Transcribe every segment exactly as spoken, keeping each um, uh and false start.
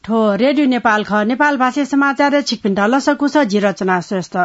थ्व रेडियो नेपाल खः। नेपाल भाषा समाचार छिकपिन्त लसकुस, जि रचना श्रेष्ठ।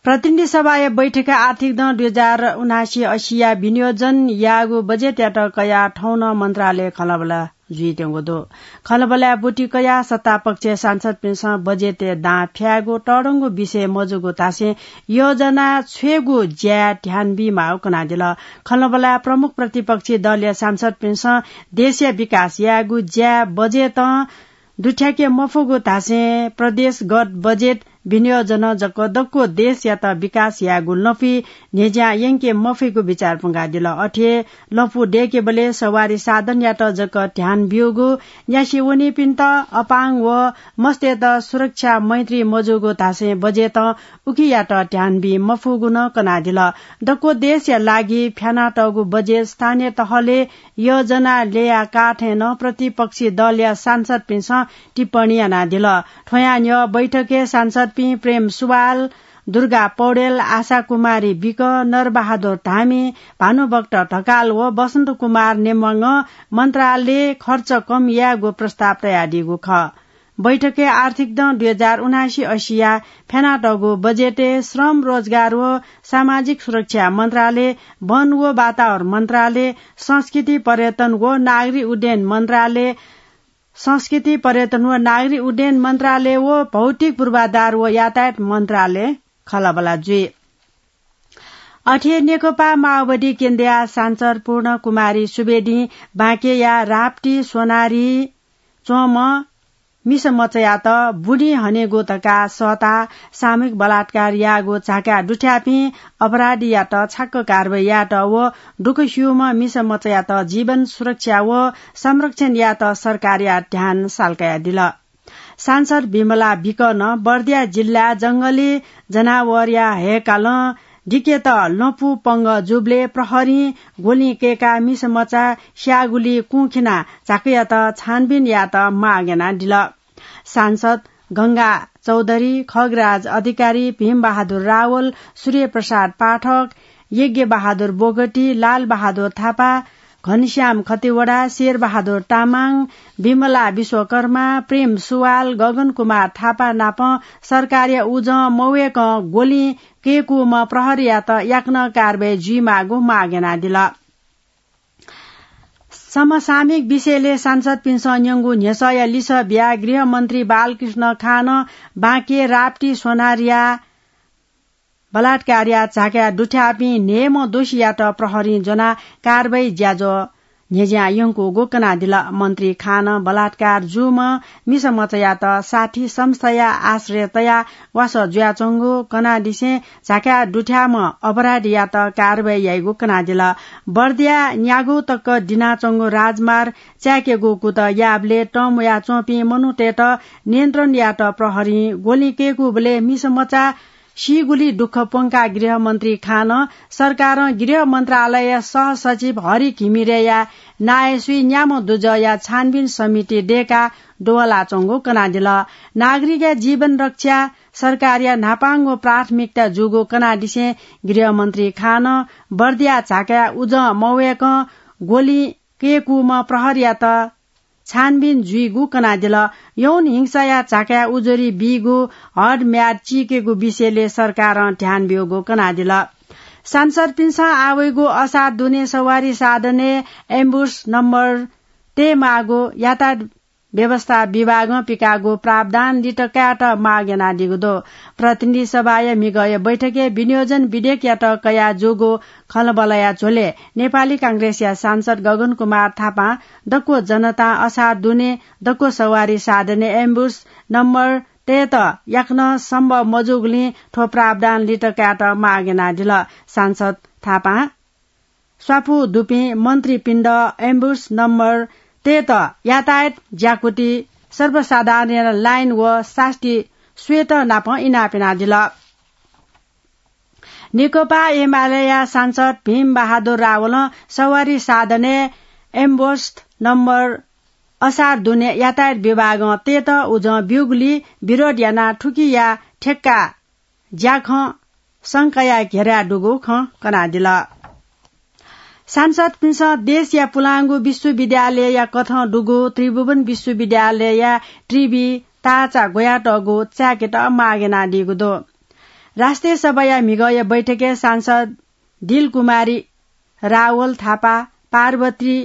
प्रतिनिधि सभाया बैठकय् आर्थिक दँ दुई हजार उनासी असी या विनियोजन याःगु बजेटयात कयाः थौं नं मन्त्रालय खँल्हाबल्हा जुइत्यंगु दु। खँल्हाबल्हाय् ब्वति कयाः सत्तापक्षया सांसदपिन्सं बजेटय् दां फ्यायेगु तःधंगु विषय मजूगु धासें योजना छ्वयेगु ज्याय् ध्यान बीमाःगु कनादिल। खँल्हाबल्हाय् प्रमुख प्रतिपक्षी दलया सांसदपिन्सं देशया विकास यायेगु ज्याय् बजेटं दुथ्याके मफुगु धासें प्रदेशगत बजेट विनियोजनं जक दक्व देशयात विकास यायेगु लँपुइ न्ह्यज्यां यंके मफइगु बिचार प्वंकादिल। अथे लँपु दय्केबलय् सवारी साधनयात जक ध्यान ब्यूगु, न्यासि वनीपिन्त, अपांग व मस्तय्त सुरक्षा मैत्री मजूगु धासें बजेटं उकियात ध्यान बी मफुगु नं कनादिल। दक्व देशया लागि फ्यानातःगु बजेट स्थानीय तहले योजना ल्ययाः काः थें नं प्रतिपक्षी दलया सांसदपिन्सं टिप्पणी यानादिल। थ्वयां न्ह्यः बैठकय् सांसदपिं प्रेम सुवाल, दुर्गा पौडेल, आशा कुमारी विक, नरबहादुर धामी, भानुभक्त ढकाल व बसन्त कुमार नेमाङं मन्त्रालय खर्च कम यायेगु प्रस्ताव तयादीगु खः। बैठकय् आर्थिक दँ दुई हजार उनासी असी या फ्यानातःगु बजेटय् श्रम, रोजगार व सामाजिक सुरक्षा मन्त्रालय, वन व वातावरण मन्त्रालय, संस्कृति, पर्यटन व नागरिक उड्डयन मन्त्रालय, संस्कृति, पर्यटन व नागरिक उड्डयन मन्त्रालय व भौतिक पूर्वाधार व यातायात मन्त्रालय खँल्हाबल्हा जुइ। अथे नेकपा माओवादी केन्द्रया सांसद पूर्ण कुमारी सुवेदीं बाँकेया राप्ती सोनारी च्वंम्ह मिसा मचायात बुँडि हनेगु धकाः सःताः सामूहिक बलात्कार याःगु झाकाय् दुथ्याःपिं अपराधीयात छाक्क कारवाही यायेत व दुःख स्यूम्ह मिसा मचायात जीवन सुरक्षा व संरक्षण यायेत सरकारया ध्यान साल्कायादिल। सांसद विमला विकं बर्दिया जिल्ला जंगली जनावरया हय्कालं दिकेत लँपु पंगः जूबलय् प्रहरीं ग्वलिं कय्काः मिसा मचा स्याःगुली कुंखिनाः झाकायात छानबिन यायेत माग यानादिल। सांसद गंगा चौधरी, खगराज अधिकारी, भीमबहादुर रावल, सूर्यप्रसाद पाठक, यज्ञबहादुर बोगटी, लालबहादुर थापा, घनश्याम खतिवडा, शेरबहादुर तामाङ, विमला विश्वकर्मा, प्रेम सुवाल, गगन कुमार थापा नाप सरकारया उजं मवय्कं ग्वलिं कय्कूम्ह प्रहरीयात याकनं कारवाही जुइमाःगु माग यानादिल। समसामयिक विषयलय् सांसदपिन्सं न्यंगु न्ह्यसःया लिसः बियाः गृहमन्त्री बालकृष्ण खानं बाँके राप्ती सोनारीया बलात्कारया झाकाय् दुथ्याःपिं न्हय्म्ह दोषीयात प्रहरीं ज्वनाः कारवाही ज्याझ्वः न्ह्यज्यां यंकूगु कनादिल। मन्त्री खानं बलात्कार जूम्ह मिसा मचायात साठी संस्थाया आश्रय तयाः वासः जुयाच्वंगु कनादिसें झाकाय् दुथ्याःम्ह अपराधीयात कारवाही याइगु कनादिल। बर्दिया न्यागू तक दिनाच्वंगु राजमार्ग चाय्केगु कुतः याःबलय् तंम्ह वयाच्वंपिं मनूतय्त नियन्त्रण यायेत प्रहरीं ग्वलिं कय्कूबलय् मिसा मचा सीगुली दुःख प्वंकाः गृहमन्त्री खानं सरकारं गृह मन्त्रालयया सहसचिव हरि घिमिरेया नायःसुइ न्याम्ह दुजःया छानबिन समिति दय्काः दुवालाच्वंगु कनादिल। नागरिकया जीवन रक्षा सरकारया न्हापांगु प्राथमिकता जूगु कनादिसें गृहमन्त्री खानं बर्दिया झाकाय् उजं मवय्कं ग्वलिं कय्कूम्ह प्रहरीयात छानबिन जुइगु कनादिल। यौन हिंसाया झाकाय् उजुरी बीगु हदम्याद चीकेगु विषयलय् सरकारं ध्यान ब्यूगु कनादिल। सांसदपिन्सं आवइगु असार दुने सवारी साधनय् एम्बुस नम्बर तयेमाःगु यातायात व्यवस्था विभागं पिकाःगु प्रावधान लित कायेत माग यानादीगु दु। प्रतिनिधि सभाया म्हिगःया बैठकय् विनियोजन विधेयकयात कयाः जूगु खँल्हाबल्हाया झ्वलय् नेपाली कांग्रेसया सांसद गगन कुमार थापां दक्व जनतां असार दुने दक्व सवारी साधनय् एम्बुस नम्बर तयेत याकनं सम्भव मजूगुलिं थ्व प्रावधान लित कायेत माग यानादिल। सांसद थापां स्वापू दुपिं मन्त्रीपिन्त एम्बुस नम्बर तयेत यातायात ज्याकुथि सर्वसाधारण लाइन व सास्ती स्वयेत नापं इनाप यानादिल। नेकपा एमालेया सांसद भीम बहादुर रावलं सवारी साधनय् एम्बुस नम्बर असार दुने यातायात विभागं तयेत उजं ब्यूगुली विरोध यानाः थुकिया ठेक्का ज्याखँ शंकाया घेराय् दुगु खँ कनादिल। सांसदपिन्सं देशया पुलांगु विश्वविद्यालयया कथं दुगु त्रिभुवन विश्वविद्यालयया त्रिवि ताःचा ग्वयातःगु चाय्‌केत माग यानादीगु दु। राष्ट्रिय सभाया म्हिगःया बैठकय् सांसद दिलकुमारी रावल थापा पार्वती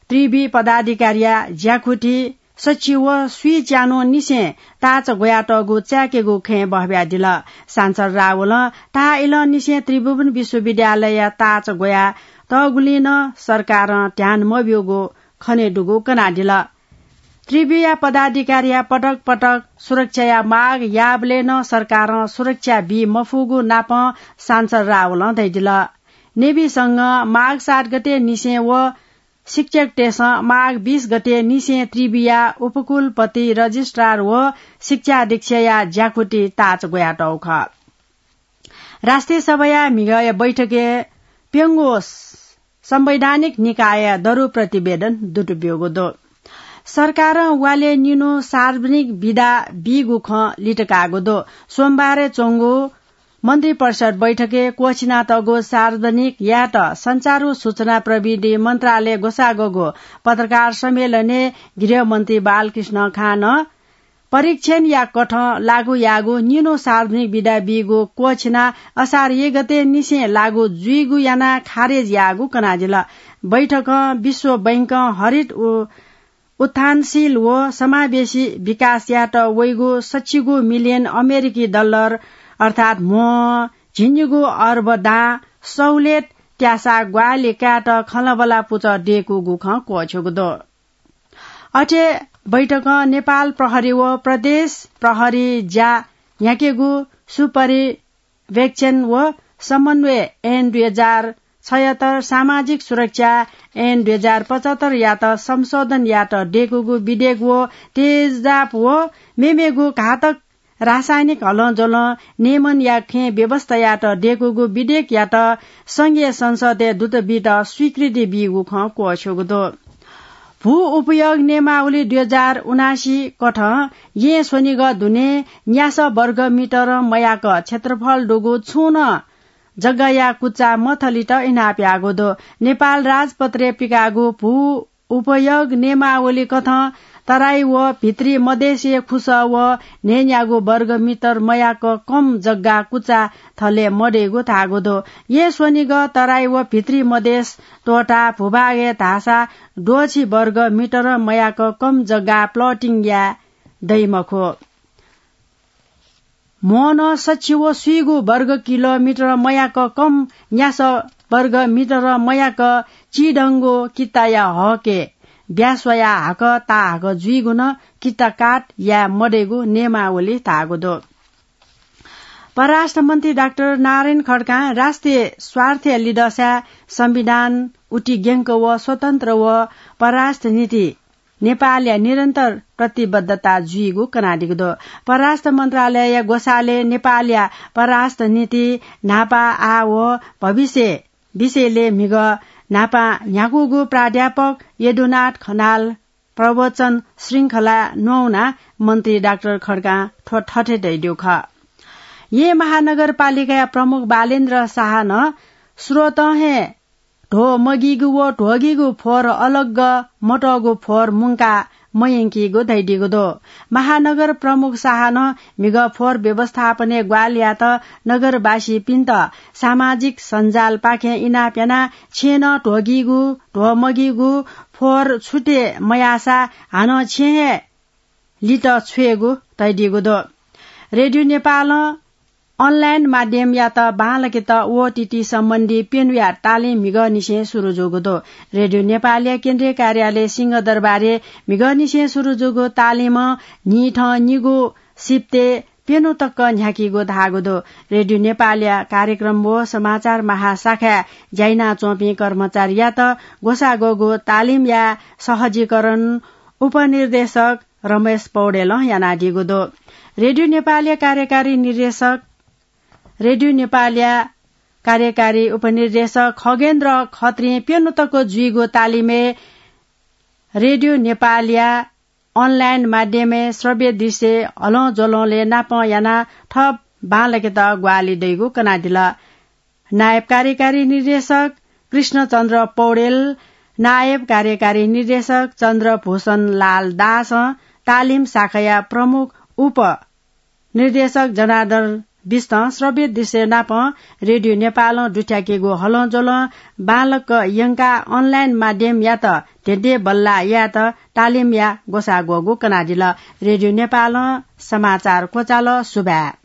त्रिवि पदाधिकारीया ज्याखुति सच्छि व स्वीच्यान्हुनिसें ताःचा ग्वयातःगु चाय्‌केगु खँय् बहब्यादिल। सांसद रावलं ताः इलंनिसें त्रिभुवन विश्वविद्यालयया ताःचा ग्वयातःगुलिं नं सरकारं ध्यान मब्यूगु खनेदुगु कनादिल। त्रिविया पदाधिकारीया पटक पटक सुरक्षाया माग याःबलय् नं सरकारं सुरक्षा बी मफुगु नापं सांसद रावलं धयादिल। नेविसंघं माघ सात गते निसें व शिक्षकतय्‌सं माघ बीस गते निसें त्रिविया उपकुलपति, रजिस्ट्रार व शिक्षा अधीक्षया ज्याखुति ताःचा ग्वयातःगु खः। राष्ट्रिय सभाया म्हिगःया बैठकय् प्यंगू संवैधानिक निकायया दरु प्रतिवेदन दुतुब्यूगु दु। सरकारं वालय् निन्हु सार्वजनिक बिदा बीगु खँ लित काःगु दु। सोमबारय् च्वंगु मन्त्रिपरिषद बैठकय् क्वःछिनातःगु सार्वजनिक यायेत सञ्चार व सूचना प्रविधि मन्त्रालय ग्वसाःगु पत्रकार सम्मेलनय् गृहमन्त्री बालकृष्ण खानं परीक्षणया कथं लागू याःगु निन्हु सार्वजनिक बिदा बीगु क्वःछिनाः असार एक गते निसें लागू जुइगु यानाः खारेज याःगु कनादिल। बैठकं विश्व बैंकं हरित उ-, उत्थानशील व समावेशी विकास यायेत वइगु सच्छि गू मिलियन अमेरिकी डलर अर्थात् म्ह झिंनिगू अर्ब दां सहुलियत त्यासा ग्वाहालि कायेत खँल्हाबल्हा पुचः दय्‌कूगु खँ क्वःछ्यूगु दु। अथे बैठकं नेपाल प्रहरी व प्रदेश प्रहरी ज्या न्ह्याकेगु सुपरिवेक्षण व समन्वय ऐन दुई हजार छयहत्तर, सामाजिक सुरक्षा ऐन दुई हजार पचहत्तर यात संशोधन यात दय्‌कूगु विधेयक व तेजाब व मेमेगु घातक रासायनिक हलंज्वलं नियमनया खँय् व्यवस्था यात दय्‌कूगु विधेयक यात संघीय संसदय् दूत बीत स्वीकृति बीगु खँ क्वःछ्यूगु दु। भू उपयोग नियमावली दुई हजार उनासी कथं येँ स्वनिगः दुने न्यासः वर्ग मिटर मयाक क्षेत्रफल दुगु छुं नं जग्गाया कुचा मथलित इनाप याःगु दु। नेपाल राजपत्रय् पिकाःगु भू उपयोग नियमावली कथं तराई व भित्री मधेसय् खुसः व न्हय्‌न्यागू वर्ग मिटर मयाक कम जग्गा कुचा थलय् मदय्‌गु धाःगु दु। येँ स्वनिगः तराई व भित्री मधेस त्वःताः भूभागय् धाःसा द्वःछि वर्ग मिटर मयाक कम जग्गा plotting याये दइ मखु। म्ह नं सच्छि व स्वीगू वर्ग किलोमिटर मयाक कम न्यासः वर्ग मिटर मयाक चिधंगु किताया हकय् ब्यास्वया हाकः ताहाकः जुइगु नं किताकाट याये मदय्‌गु नियमावली धाःगु दु। परराष्ट्र मन्त्री डाक्टर नारायण खड्कां राष्ट्रिय स्वार्थया लिधंसाय् संविधान उतिग्यंक व स्वतन्त्र व परराष्ट्र नीति नेपालया निरन्तर प्रतिबद्धता जुइगु कनादीगु दु। परराष्ट्र मन्त्रालयया ग्वसालय् नेपालया परराष्ट्र नीति न्हापा, आः व भविष्य विषयलय् म्हिगः न्हापां न्ह्याकूगु प्राध्यापक यदुनाथ खनाल प्रवचन श्रृंखला न्ववानाः मन्त्री डाक्टर खड्कां थ्व थथे धयादीगु खः। येँ महानगरपालिकाया प्रमुख बालेन्द्र शाहं स्रोतं हे ध्वः मगीगु व ध्वगीगु फोहोर अलग्ग मतःगु फोहोर मुंका मयंकीगु धयादीगु दु। महानगर प्रमुख शाहं म्हिगः फोहोर व्यवस्थापनय् ग्वाहालि यात नगरवासीपिन्त सामाजिक सञ्जालपाखें इनाप यानाः छेँनं ध्वगीगु, ध्वः मगीगु फोहोर छुटे मयाःसा हानं छेँ हे लित छ्वयेगु धयादीगु दु। रेडियो नेपालं online माध्यमयात बांलाकेत ओटीटी सम्बन्धी प्यन्हुया तालिम म्हिगःनिसें सुरु जूगु दु। रेडियो नेपालया केन्द्रीय कार्यालय सिंहदरबारय् म्हिगःनिसें सुरु जूगु तालिमं न्हिथं निगू सिफ्ते प्यन्हु तक न्ह्याकीगु धाःगु दु। रेडियो नेपालया कार्यक्रम व समाचार महाशाखाय् ज्या यानाच्वंपिं कर्मचारीयात ग्वसाः ग्वःगु तालिमया सहजीकरण उपनिर्देशक रमेश पौडेलं यानादीगु दु। रेडियो नेपालया कार्यकारी निर्देशक, रेडियो नेपालया कार्यकारी उपनिर्देशक खगेन्द्र खत्रीं प्यन्हु तक जुइगु तालिमय् रेडियो नेपालया online माध्यमय् श्रव्य दृश्य हलंज्वलंलय् नापं यानाः थप बांलाकेत ग्वाहालि दइगु कनादिल। नायब कार्यकारी निर्देशक कृष्णचन्द्र पौडेल, नायब कार्यकारी निर्देशक चन्द्रभूषण लाल दासं तालिम शाखाया प्रमुख उप निर्देशक जनार्दन बिष्टं श्रव्य दृश्य नापं रेडियो नेपालं दुथ्याकेगु हलंज्वलं बांलाक यंकाः अनलाइन माध्यमयात धेंधेंबल्लाः यायेत तालिमया ग्वसाः ग्वःगु कनादिल। रेडियो नेपालं समाचार क्वचाल। सुभाय्।